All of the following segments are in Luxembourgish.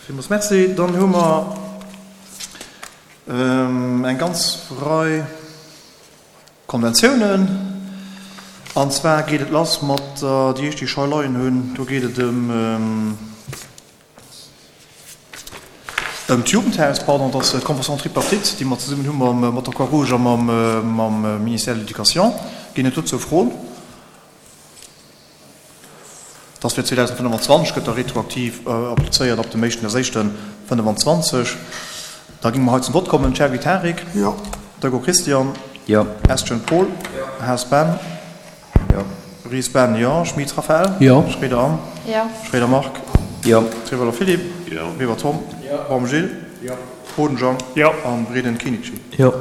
Villmools Merci. Dann hu mer eng ganz Rei Konventiounen. An zwar geet et lass mat der, déi éischt, déi ech hei leien hunn, do geet et ëm d'Jugendhaus, pardon, dat ass d'Convention tripartite, déi mer zesummen hu mat der Croix-Rouge a mam Ministère de l'Éducation. Ginn et dozou Froen? Dass fir 2025 gëtt da retroaktiv applizéiert ab dem éischten éischten 25. Da géinge mer hei zum Vott kommen. Cherby Tarik. Jo. Dego Christian. Jo. Estgen Paul. Jo. Haas Ben. Jo. Ries Ben. Jo. Schmit Raphaëlle. Jo. Schroeder Anne. Jo. Schroeder Marc. Jo. Trewelder Philippe. Jo. Weber Tom. Jo. Baum Gilles. Jo. Boden Jean. Jo. An Breden Kinichi. Jo.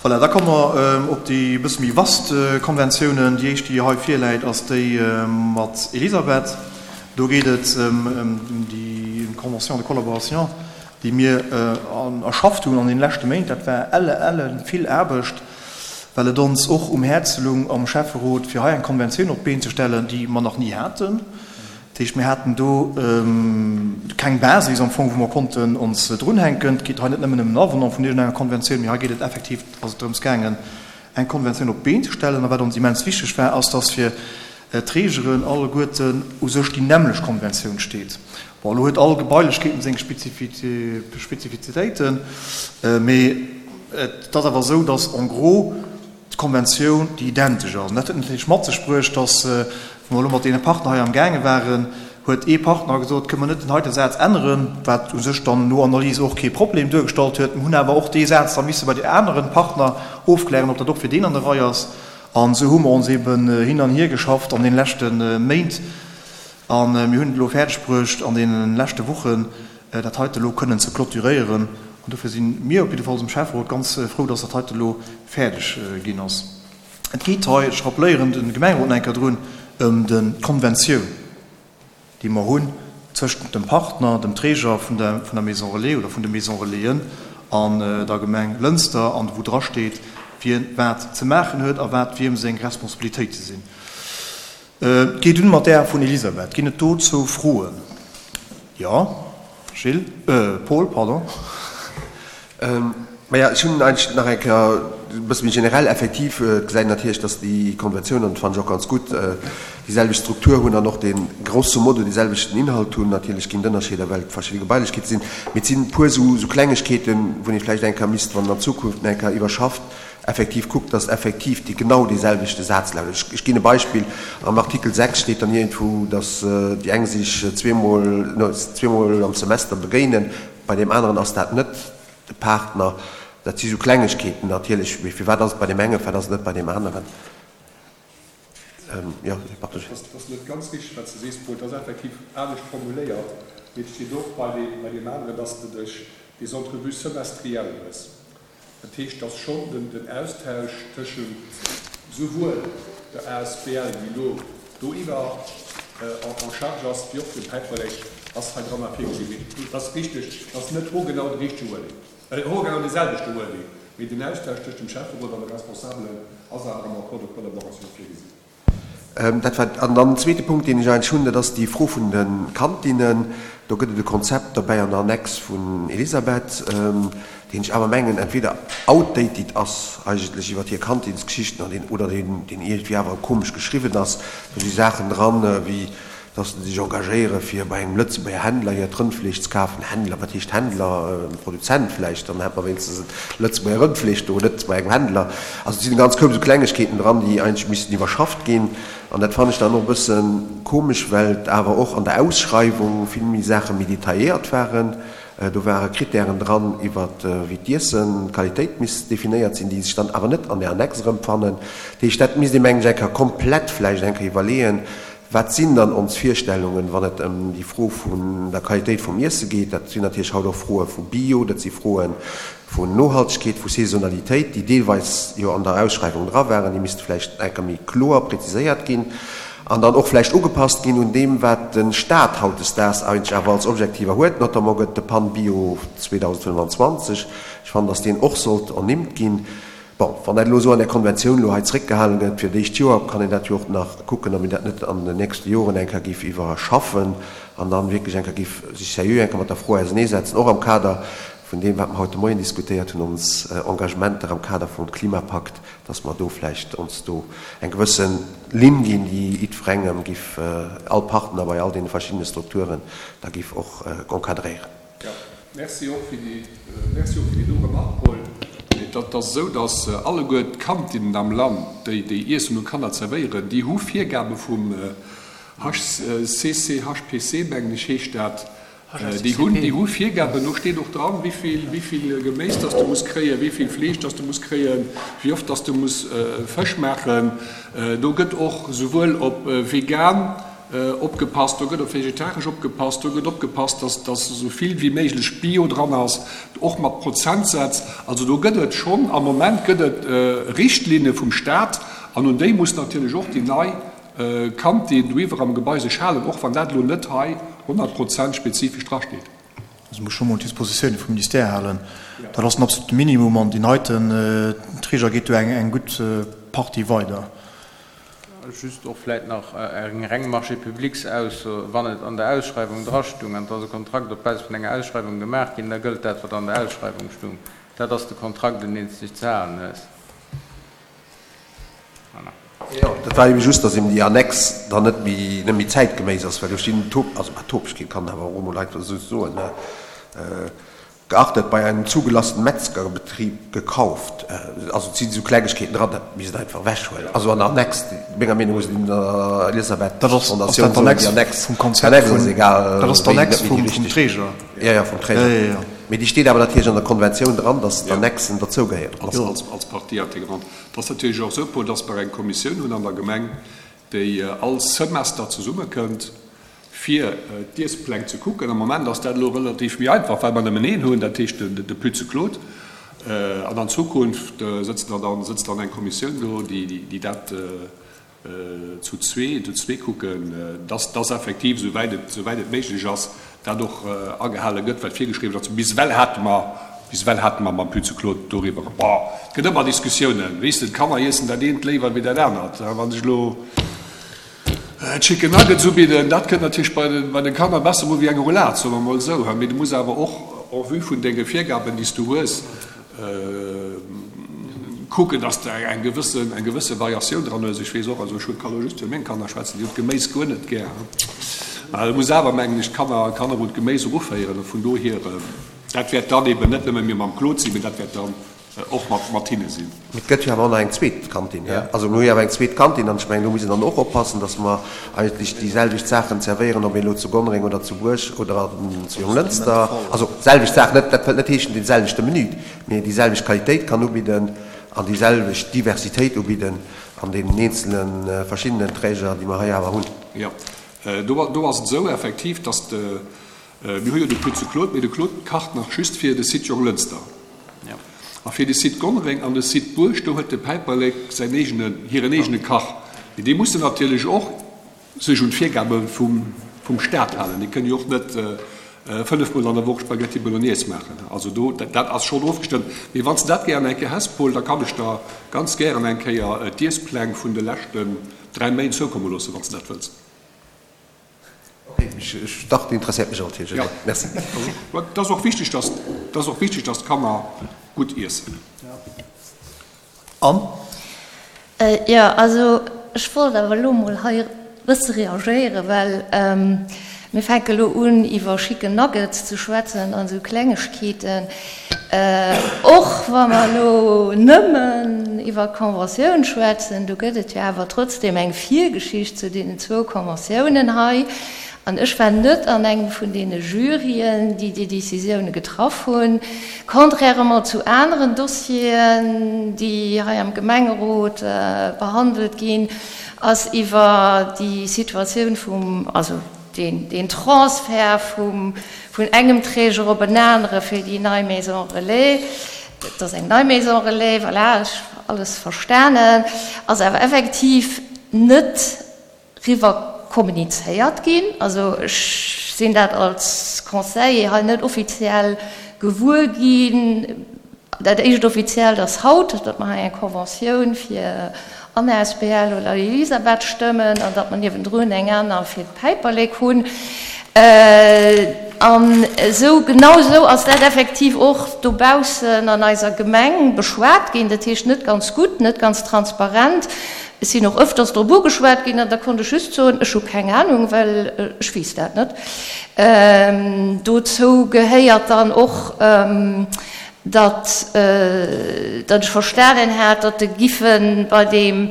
Voilà, da komme mer op déi e bësse méi vast Konventiounen. Déi éischt, déi hei virläit, ass déi mat Elisabeth. Do geet et ëm déi Convention de collaboration, déi mir erschafft hunn an deene leschte Méint. Dat war elle, elle vill Aarbecht, well et ons och um Häerz lung am Schäfferot, fir hei eng Konventioun op d'Been ze stellen, déi mer nach ni haten. Dat heescht, mir haten do keng Basis am Fong, wou mer konnten ons drunhänken. Et geet hei net nëmmen ëm en Avenant vun iergendenger Konventioun, mee hei geet et effektiv, ass et drëms gaangen, eng Konventioun op d'Been ze stellen. A wat ons immens wichteg war, ass, dass fir d'Trägeren alleguerten u sech déi nämmlecht Konventioun steet. Bon, elo huet all Gebailechkeeten seng Spezifizitéiten, mee et ass awer esou, dass en gros d'Konventioun, déi identesch ass. An dat huet natierlech mat sech bruecht, dass, wou mer elo mat deene Partner hei amgaange waren, huet ee Partner gesot, Kënne mer net den heite Saz änneren? Wat u sech dann no Analys och kee Problem duergestallt huet. Mir hunn awer och dee Saz da misse bei de anere Partner ofklären, ob dat och fir deen an der Rei ass. An esou hu mer ons eeben hin an hier geschafft an deene leschte Méint. A mir hunn et elo fäerdeg bruecht, an deene leschte Wochen dat heite elo kënnen ze clôturéieren. An dofir si mir op jiddefalls um Schäfferot ganz frou, dass dat heite elo fäerdeg ginn ass. Et geet hei, ech rappeléieren de Gemengerot nach eng Kéier drun, ëm d'Konventioun, déi mer hunn tëschent dem Partner, dem Träger vun der Maison Relais oder vun de Maison Relaisen an der Gemeng Lënster, an wou drasteet, wien wat ze maachen huet a wat wiem seng Responsabilitéite sinn. Et geet un mat där vun Elisabeth. Ginn et dozou Froen? Jo, Gilles, Paul, pardon. Maja, ech hunn eigentlech nach eng Kéier e bësse méi generell. Effektiv, et gesäit een natierlech, dass déi Konventioun, an dat fannen ech och ganz gutt, déi selwecht Struktur hunn an och dee grosso modo dee selwechten Inhalt hunn. Natierlech ginn et Ënnerscheeder, well et verschidde Gebailechkeete sinn. Mee et sinn e puer esou Klengegkeeten, wou ee vläicht eng Kéier misst, wann een an Zukunft nach eng Kéier iwwerschafft, effektiv kuckt, dass effektiv déi genau deeselwechte Saz lautet. Ech ginn e Beispill, Am Artikel 6 steet dann iergendwou, dass déi eng sech zweemol, no, zweemol am Semester begéinen, bei deem aneren ass dat net de Partner. Dat si sou Klengegkeeten natierlech, mee firwat ass et bei deem engen, firwat ass et net bei deem aneren? Jo, pardon. Dat ass net ganz richteg, wat s de sees, Paul. Et ass effektiv anescht formuléiert, mee et steet och bei deem aneren, dass de dech des entrevues semestrielles hues. Dat heescht, dass schonn den Austausch tëschent souwuel der asbl, déi elo doiwwer en charge ass, wéi och dem Päiperlek ass hei dran virgesinn. Mee et ass richteg, et ass net hoergenau de richtege Wording, hoergenau dee selwechte Wording, mee den Austausch tëscht dem Schäfferot an de Responsabelen ass awer am Accord de collaboration virgesinn. Dat war, an dann den zweete Punkt, deen ech eigentlech hunn, dat ass déi Fro vun de Kantinnen. Do gëtt et e Konzept dobäi an der Annex vun Elisabeth, deen ech awer mengen entweder outdated ass eigentlech iwwert hir Kantinsgeschichten an deen, oder deen, deen iergendwéi awer komesch geschriwwen ass. Do si Saachen dran, wéi dass se sech engagéiere fir bei engem Lëtzebuerger Händler hiert Rëndfleesch ze kafen. Händler, wat heescht Händler? Produzent vläicht, dann hätt mer wéinstens et Lëtzebuerger Rëndfleesch do, net bei engem Händler. Also et sinn e ganz Koup esou Klengegkeeten dran, déi eigentlech missten iwwerschafft ginn. An dat fannen ech dann och e bësse komesch, well et awer och an der Ausschreiwung vill méi Saache méi detailléiert waren. Do ware Krittären dran iwwer wéi d'Iessen, d'Qualitéit misst definéiert sinn, déi sech dann awer net an där Annex erëmfannen. Dat heescht, dat misst ee mengen ech eng Kéier komplett vläicht eng Kéier iwwerleeën, Wat sinn dann ons Virstellungen, wann et ëm déi Fro vun der Qualitéit vum Iesse geet? Dat sinn natierlech haut och Froe vu Bio, dat si Froe vun Nohaltegkeet, vu Saisonalitéit, déi deelweis jo an der Ausschreiwung dra waren. Déi misste vläicht eng Kéier méi kloer präziséiert ginn an dann och vläicht ugepasst ginn un deem, wat de Stat hautdesdaags eigentlech awer als Objektiver huet. Notamment gëtt de PAN Bio 2025. Ech fannen, dass deen och sollt ernimmt ginn. Bon, wann dat elo esou an där Konventioun elo hei zréckgehalen gëtt fir d'éischt Joer, kann een dat jo och nach kucken, ob een dat net an den nächste Joren eng Kéier géif iwwerschaffen an dann wierklech eng Kéier géif sech seriö eng Kéier mat der Fro auserneesetzen, och am Kader vun deem, wat mer haut de Moien diskutéiert hunn, ons Engagementer am Kader vum Klimapakt, dass mer do vläicht ons do eng gewësse Linn ginn, déi jiddwerengem giff, all Partner bei all deene verschiddene Strukturen da giff och encadréieren. Jo, merci och fir déi, merci och fir déi do Remark, Paul. Et ass esou, dass alleguer d'Kantinnen am Land, déi déi Iessen un Kanner zerwéieren, déi hu Virgabe vum HCCHPC, mengen ech heescht dat, Déi hunn, déi hu Virgaben, do steet och dran, wéi vill Geméis dass de muss kréien, wéi vill Fleesch dass de muss kréien, wéi oft dass de muss Fësch maachen. Do gëtt och souwuel op vegan opgepasst, do gëtt op vegetaresch opgepasst, do gëtt opgepasst, dass dass esou vill wéi méiglech Bio dran ass, och mat Prozentsätz. Also do gëtt et schonn, am Moment gëtt et Richtlinne vum Staat an un déi muss natierlech och déi nei Kantin doiwwer am Gebai sech halen, och wann dat elo net hei 100 Prozent spezifesch drasteet. Se muss scho mol d'Dispositioune vum Ministère halen. Dat ass den absolute Minimum an deen heiten Träger geet do eng gutt Partie weider. Just och vläit nach eng reng Marché-publics-Ausso, Wann et an der Ausschreiwung drastung an et ass e Kontrakt op Basis vun enger Ausschreiwung gemaach ginn, da gëllt dat, wat an der Ausschreiwung stung. Dat ass de Kontrakt, un deen s de dech ze halen hues. Jo, dat war eben just, dass eben déi Annex dann net méi, net méi zäitgeméiss ass, well do stinn Top, also bah, Topegkeet kann een awer och emol einfach esou soen, ne, geachtet, bei einem zugelassenen Metzgerbetrieb gekauft. Also et sinn esou Klengegkeeten dran, dat misst een einfach ewechhuelen. Also an der Annex, menger Meenung no, sinn der Elisabeth Dat ass, ass dat Fondatioun soen, déi d'Annex Annex, vum Konzept d'Annex ass vun, egal dat ass wéi, d'Annex net méi déi vum, vum richteg. Träger. Jo, jo, vum Träger. Jo, jo, jo. Mee déi steet awer natierlech an der Konventioun dran, dass d'Annexen derzougehéieren. Als, als, als Partie intégrante. Et ass natierlech och esou, Paul, dass mer eng Kommissioun hunn an der Gemeng, déi all Semester zesummekënnt, fir d'Iesspläng ze kucken. Am Moment ass dat elo relativ méi einfach, well mer nëmmen een hunn, dat heescht de Pütze Claude. An an Zukunft sëtzt dann, sëtzt dann eng Kommissioun do, déi dat zu zwee, zu zwee kucken, dass, dass effektiv, esouwäit et, esouwäit et méiglech ass, dat och agehale gëtt, wat virgeschriwwen ass. Bis ewell hate mer, bis ewell hate mer mam Pütze Claude doriwwer, bon, et gëtt ëmmer Diskussiounen, weess de, d'Kanner iessen dat eent léiwer wéi dat anert. Wann ech elo Chicken Nuggets ubidden, dat kënnt natierlech bei de, bei de Kanner besser u wéi eng Roulade, soe mer emol esou. Mee du muss awer och en vue vun denge Virgaben, déi s du hues, kucken, dass de eng gewëssen, eng gewësse Variatioun dran hues. Ech weess och, also ech kann elo just fir meng Kanner schwätzen, déi hunn d'Geméis guer net gär. Mä du muss awer, mengen ech, d'Kanner, d'Kanner un d'Geméis eruféieren. A vun dohier, dat wäert dann eben net nëmme mir mam Claude sinn, mee dat wäert dann och mat, mat hinne sinn. Mee et gëtt jo awer och nach eng zweet Kantin. Also mir hu jo awer eng zweet Kantin an ech mengen, do muss een dann och oppassen, dass mer eigentlech déi selwecht Saachen zerwéieren, ob een elo zu Gonnereng oder zu Buerg oder zu Jonglënster, also selwecht Saachen, net, dat wëllt net heeschen dee selwechte Menü, mee déi selwecht Qualitéit kann ubidden an déi selwecht Diversitéit ubidden an deenen eenzele verschiddenen Träger, déi mer hei awer hunn. Jo, do, do ass et esou effektiv, dass de, mir hu jo de Pütze Claude, mee de Claude kacht nach just fir de Site Jonglënster. A fir de Site Gonnereng an de Site Buerg, do huet de Päiperlek säin eegene, hiren eegene Kach. Mee déi mussen natierlech och sech un d'Virgabe vum Staat halen. Déi kënnen jo och net fënnefmol an der Woch Spaghetti Bolognese maachen. Also do, dat ass schonn ofgestëmmt. Mee wann s de dat gären eng Kéier häss, Paul, da kann ech der ganz gären eng Kéier d'Iesspläng vun de leschten 3 Méint zoukomme loossen, wann s de dat wëlls. Ok, ech, dach, dat interesséiert mech natierlech. Ja. Merci. Et ass och wichteg, dass, et ass och wichteg, dass d'Kanner gutt iessen. An? Jo, also ech wollt awer elo emol hei e bësse reagéieren, well mir fänke elo un iwwer Chicken Nuggets ze schwätzen an esou Klengegkeeten. Och wa mer elo nëmmen iwwer d'Conventioun schwätzen, do gëtt et jo awer trotzdem eng Virgeschicht zu deenen zwou Conventiounen hei. An ech war net an engem vun deene Juryen, déi déi Décisioune getraff hunn. Contrairement zu aneren Dossieren, déi hei am Gemengerot behandelt ginn, ass iwwer déi Situatioun vum, also deen Transfert vum, vun engem Träger op en anere fir déi nei Maison relais, et ass eng nei Maison relais, voilà, ech hu alles verstanen, ass awer effektiv net riwwer kommunizéiert ginn. Also ech sinn dat als Conseiller hei net offiziell gewuer ginn. Dat éischt Offiziellt ass haut, datt mer hei eng Conventioun fir Anna asbl oder Elisabeth stëmmen an datt mer niewendrun eng aner fir d'Päiperlek hunn. An esou, genau esou ass dat effektiv och dobaussen an eiser Gemeng beschwat ginn. Dat heescht net ganz gutt, net ganz transparent. Ech sinn och ëfters drop ugeschwat ginn an da konnt ech just soen, ech hu keng Anung, well ech weess dat net. Dozou gehéiert dann och, datt datt ech verstanen hat, datt de giffe bei deem,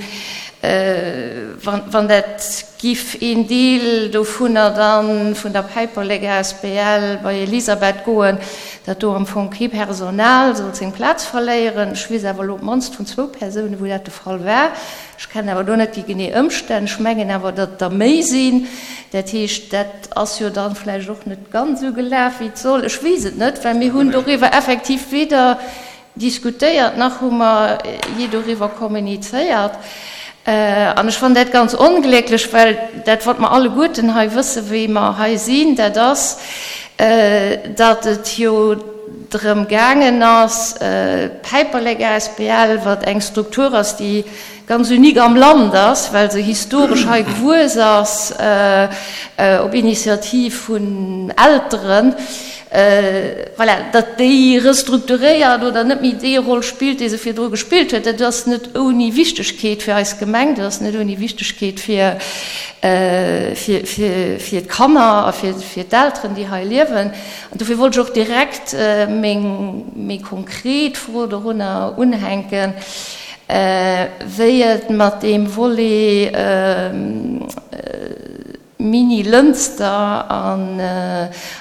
wann dat giff een Deel dovunner dann vun der Päiperlek asbl bei Elisabeth goen, datt do am Fong kee Personal sollt seng Plaz verléieren. Ech weess awer elo op d'mannst vun zwou Persounen, wou dat de Fall war. Ech kennen awer do net déi genee Ëmstänn. Ech mengen awer, datt et der méi sinn. Dat heescht, dat ass jo dann vläicht och net ganz esou gelaf, wéi et soll. Ech weess et net, well mir hunn doriwwer effektiv weder diskutéiert, nach hu mer jee doriwwer kommunizéiert. An ech fannen dat ganz onglécklech, well dat, wat mer alleguerten hei wëssen, wéi mer hei sinn, dat ass, datt et jo drëm gaangen ass, d'Päiperlek asbl, wat eng Struktur ass, déi ganz unique am Land ass, well se historesch hei gewuess ass, op Initiativ vun Elteren, voilà, datt déi restrukturéiert oder net méi déi Roll spillt, déi se virdru gespillt huet. Dat ass net ouni Wichtegkeet fir eis Gemeng, dat ass net ouni Wichtegkeet fir, fir d'Kanner a fir d'Elteren, déi hei liewen. An dofir wollt ech och direkt meng méi konkret Fro dorunner unhänken, wéi et mat deem Volet Mini-Lënster an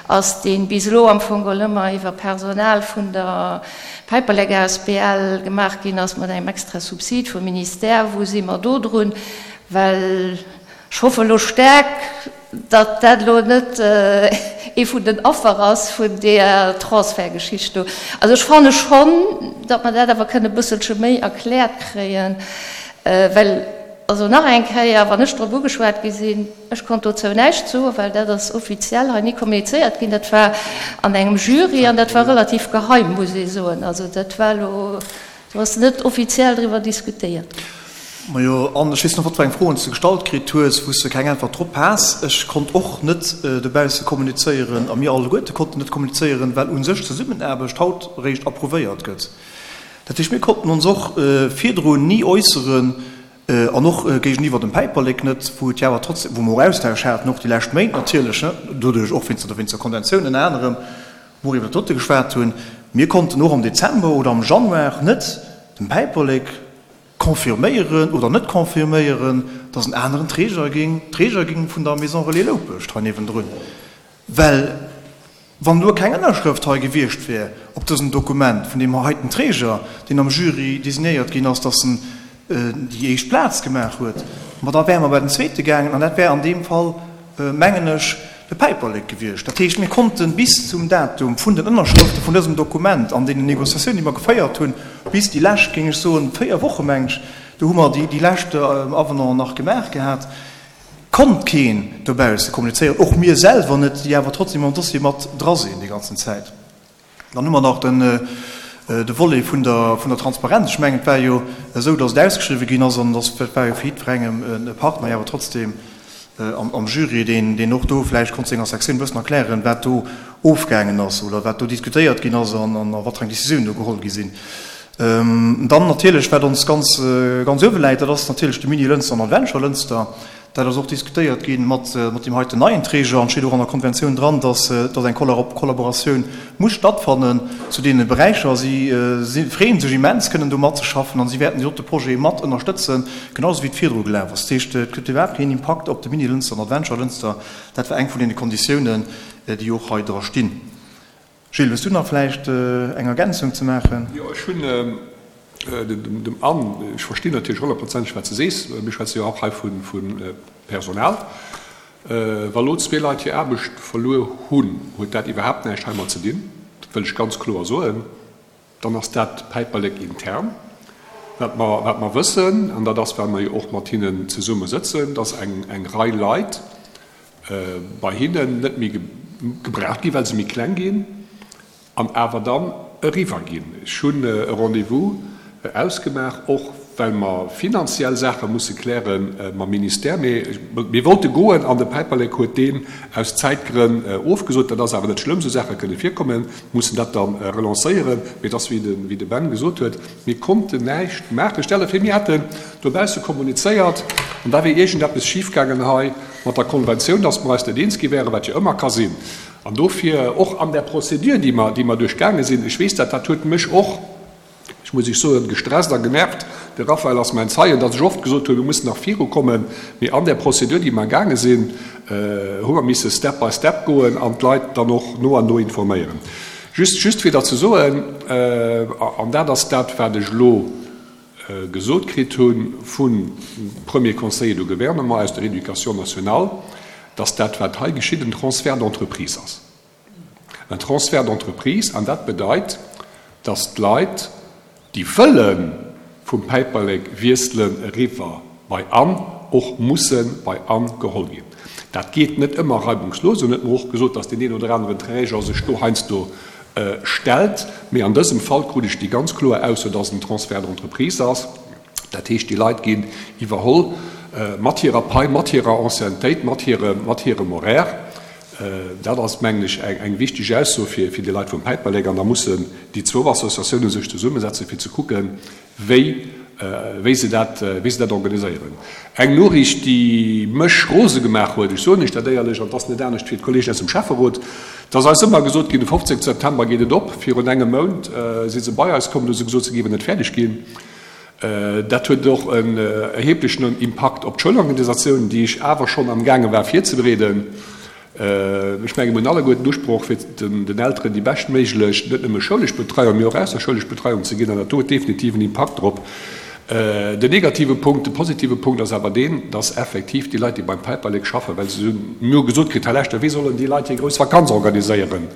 ass, dee bis elo am Fong geholl ëmmer iwwer Personal vun der Päiperlek asbl gemaach ginn ass, mat engem extra Subsid vum Ministère. Wou si mer do drun? Well ech hoffe elo staark, datt dat elo net ee vun den Affer ass vun deeër Transfertgeschicht do. Also ech fanne schonn, datt mer dat awer kënne e bësselche méi erkläert kréien, well, also nach eng Kéier, wann ech drop ugeschwat gi sinn, ech konnt dozou näischt soen, well dat ass offiziell hei ni kommunizéiert ginn. Dat war an engem Jury an dat war relativ geheim, muss ee soen. Also dat war elo Do ass net offiziell driwwer diskutéiert ginn. Majo, an ech weess net, wat fir eng Froen s de gestallt kritt hues, wou s de keng Äntwert drop has. Ech konnt och net dobausse kommunizéieren a mir alleguerte konnten net kommunizéieren, well u sech d'Zesummenaarbecht haut eréischt approuvéiert gëtt. Dat heescht, mir konnten ons och virdrun ni äusseren an och géigeniwwer dem Päiperlek net, wou et jo awer trotzdem, wou mer och Austausch haten, och déi lescht Méint natierlech, doduerch och wéinst der Konventioun ënner anerem, wou mer iwwer dat dote geschwat hunn, mir konnten och am Dezember oder am Januar net dem Päiperlek confirméieren oder net confirméieren, dass en aneren Träger géing Träger ging vun der Maison Relais Loupescht hei niewendrun, well wann elo keng Ënnerschrëft hei gewiescht wär op dësem Dokument vun deem heiten Träger, deen am Jury designéiert ginn ass, dass en déi éischt Plaz gemaach huet, ma da wäre mer bei den zweete gaangen an dat wär an deem Fall, mengen ech, de Päiperlek gewiescht. Dat heescht, mir konnte bis zum Datum vun den Ënnerschrëfte vun dësem Dokument an deenen Négociatiounen, déi mer geféiert hunn, bis déi lescht, géing ech soen, véier Woche meng ech, do hu mer déi lescht Avenanten nach gemaach gehat, konnt keen dobausse kommunizéieren, och mir selwer net, déi awer trotzdem am Dossier mat dra sinn déi ganzen Zäit. Dann hu mer nach den de Volet vun der vun der Transparenz. Ech mengen, et war jo esou, datt et ausgeschriwwen ginn ass an datt et war jo fir jiddwerengem e Partner, jo awer trotzdem am am Jury, deen deen och do vläicht konnt senger Sektioun e bëssen erklären, wat do ofgaangen ass oder wat do diskutéiert ginn ass an an a wat fir eng Décisioun do geholl gi sinn. Dann natierlech, wat ons ganz ganz uewe läit, dat ass natierlech de Mini-Lënster an Adventure Lënster. Dat ass och diskutéiert gi mat deem heiten neien Träger an steet och an der Konventioun dran, dass eng Kollaboratioun muss stattfannen zu deene Beräicher. Si freeë sech immens, kënnen do matzeschaffen an si wäerten deen dote Projet mat ënnerstëtzen, genau esou wéi et virdru gelaf ass. Dat heescht, et gëtt iwwerhaapt keen Impakt op de Mini-Lënster an Adventure Lënster. Dat war eng vun deene Konditiounen, déi och hei dra stinn. Gilles, hues du nach vläicht eng Ergänzung ze maachen? Jo, ech hunn dem Anne, ech verstinn natierlech honnertprozenteg, wat s de sees. Mir schwätze jo och hei vu Personal. Wa lo zwee Leit hir Aarbecht verluer hunn, huet dat iwwerhaapt näischt heimat ze dinn. Dat wëll ech ganz kloer soen. Dann ass dat Päiperlek intern. Wat mer, wat mer wëssen, an dat ass, well mer jo och mat hinnen zesumme sëtzen, dass eng, eng Rei Leit bei hinnen net méi gebraucht ginn, well se méi kleng ginn, an awer dann. eriwwer ginn. Ech hunn e Rendez-vous ausgemaach, och well mer finanziell Saache musse kläre mam Ministère. Mee mir wollte goen an de Päiperlek huet deen aus Zäitgrënn ofgesot. Dat ass awer net schlëmm, esou Saache kënne virkommen. Mir mussen dat da relancéieren. Mee et ass, wéi de Ben gesot huet, mir konnten näischt maachen. Stell der vir, mir hätten dobausse kommunizéiert an da wier iergendeppes schifgaangen hei mat der Konventioun, dass mer eis net eens gi wären, wat jo ëmmer ka sinn. An dofir och an där Procédure, déi mer, déi mer duerchgaange sinn, ech weess dat, dat huet mech och, ech muss Iech soen, gestresst a genervt, de Raphaël ass mäin Zeien, datt ech oft gesot hunn, mir mussen nach virukommen, mee an där Procédure, déi mer gaange sinn, hu mer misse step by step goen an d'Leit dann och no an no informéieren. Just, just fir der ze soen, an dat ass dat, wat ech elo gesot kritt hu vum Premier Conseiller de Gouvernement aus der Éducation nationale, dass dat, wat hei geschitt, en Transfert d'entreprise ass. En Transfert d'entreprise, an dat bedeit, dass d'Leit, déi wëlle vum Päiperlek wiesselen eriwwer bei an, och musse bei an geholl ginn. Dat geet net ëmmer reibungslos. En huet mer och gesot, dass deen een oder aneren Träger sech do heiansdo stellt. Mee an dësem Fall krut ech déi ganz kloer Ausso, dass et en Transfert d'entreprise ass. Dat heescht, déi Leit ginn iwwerholl mat hirer Pai, mat hirer Anciennetéit, mat hirem Horaire. Dat ass, mengen ech, eng wichteg Ausso fir déi Leit vum Päiperlek. An da mussen déi zwou Associatiounen sech zesummesetzen, fir ze kucken, wéi wéi se dat, wéi se dat organiséieren. Eng Noriicht, déi mech rose gemaach huet, ech soen Iech dat éierlech, an et ass net anescht fir d'Kollegen aus dem Schäfferot, et ass eis ëmmer gesot ginn, de 15 September geet et op. Virun engem Mount si se bei eis komm, hu se gesot, se géiwen net fäerdeg ginn. Dat huet och en erheblechen Impakt op d'Schoulorganisatioun, déi ech awer schonn amgaange war virzebereeden. Ech menge mir hunn alleguer den Usproch, fir den Elteren déi beschtméiglech, net nëmme schoulesch Betreiung, mee och ausserschoulesch Betreiung ze ginn. An dat do huet definitiv en Impakt drop. Den negative Punkt, de positive Punkt ass awer deen, dass effektiv déi Leit, déi beim Päiperlek schaffen, well se hunn, mir hu gesot kritt, Här Lechter, wéi sollen déi Leit hir grouss Vakanz organiséieren?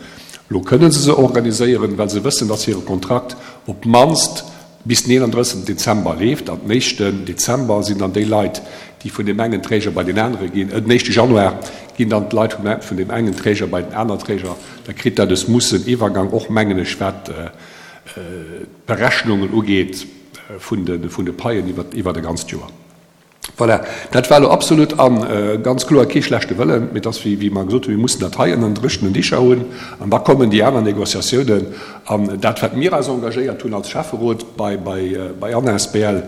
Elo kënne se se organiséieren, well se wëssen, dass hire Kontrakt op d'mannst bis den 31 Dezember leeft an den éischten Dezember sinn dann déi Leit, déi vun deem engen Träger bei deen anere ginn, den éischte Januar ginn dann d'Leit vun deem engen Träger bei den aner Träger. Da kritt dat e smoothen Iwwergang och, mengen ech, wat d'Berechnungen ugeet vun de Paien iwwert e ganzt Joer. Voilà, dat war elo absolut a ganz kloer kee schlechte Wëllen, mee et ass, wéi mer gesot hunn, mir mussen dat hei ënnen dréchenen Dicher hunn an da kommen déi aner Négociatiounen. An dat, wat mir eis engagéiert hunn als Schäfferot bei bei Anna asbl,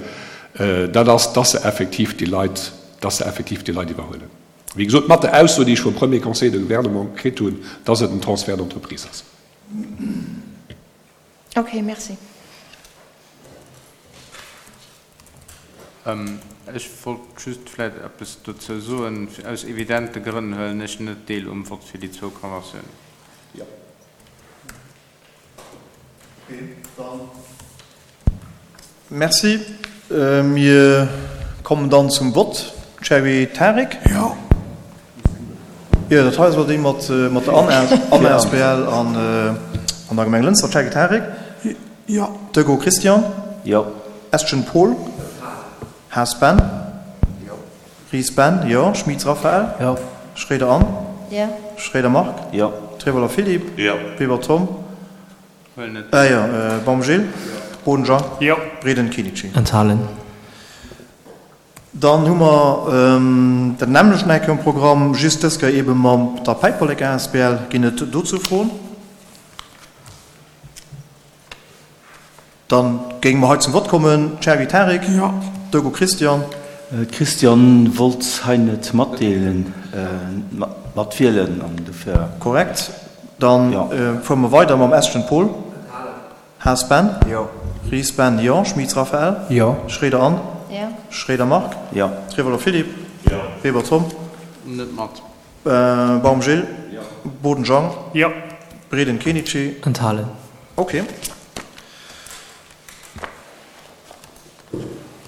dat ass, dass se effektiv déi Leit, dass se effektiv déi Leit iwwerhuelen. Wéi gesot, mat der Ausso, déi ech vum Premier Conseiller de Gouvernement kritt hunn, dass et en Transfert d'entreprise ass. Ok, merci. Ech wollt just vläicht eppes dozou soen. Aus evidente Grënn huelen ech net deel um Vott fir déi zwou Konventiounen. Jo. Ok, dann merci. Mir kommen dann zum Vott. Cherry Tarik? Jo. Jo, dat hei ass elo déi mat der Anna asbl an der Gemeng Lënster. Cherry Tarik? Jo. Dego Christian? Jo. Estgen Paul? Haas Ben? Jo. Ries Ben? Jo. Schmitz Raphaël? Jo. Schroeder Anne? Jo. Schroeder Marc? Jo. Trevoller Philippe? Jo. Weber Tom? Huelen net. Ah jo, Baum Gilles? Jo. Boden Jean? Jo. Breden Kinichi? Enthalen. Dann hu mer dat nämmlecht nach eng Kéier um Programm, just dës Kéier eebe mam der Päiperlek asbl. Ginn et dozou Froen? Dann géinge mer hei zum Vott kommen. Cherry Tarik. Jo. Dogo Christian. D'Christiane wollt hei net matdeelen, matwielen an dofir. Korrekt. Dann fuere mer weider mam Estgen Paul. Haas Ben. Jo. Ries Ben, jo. Schmitz Raphaël. Jo. Schroeder Anne. Jo. Schroeder Marc. Jo. Trevoller Philippe. Jo. Weber Tom. Net mat. Baum Gilles. Jo. Boden Jean. Jo. Breden Kenichi. Enthalen. Ok.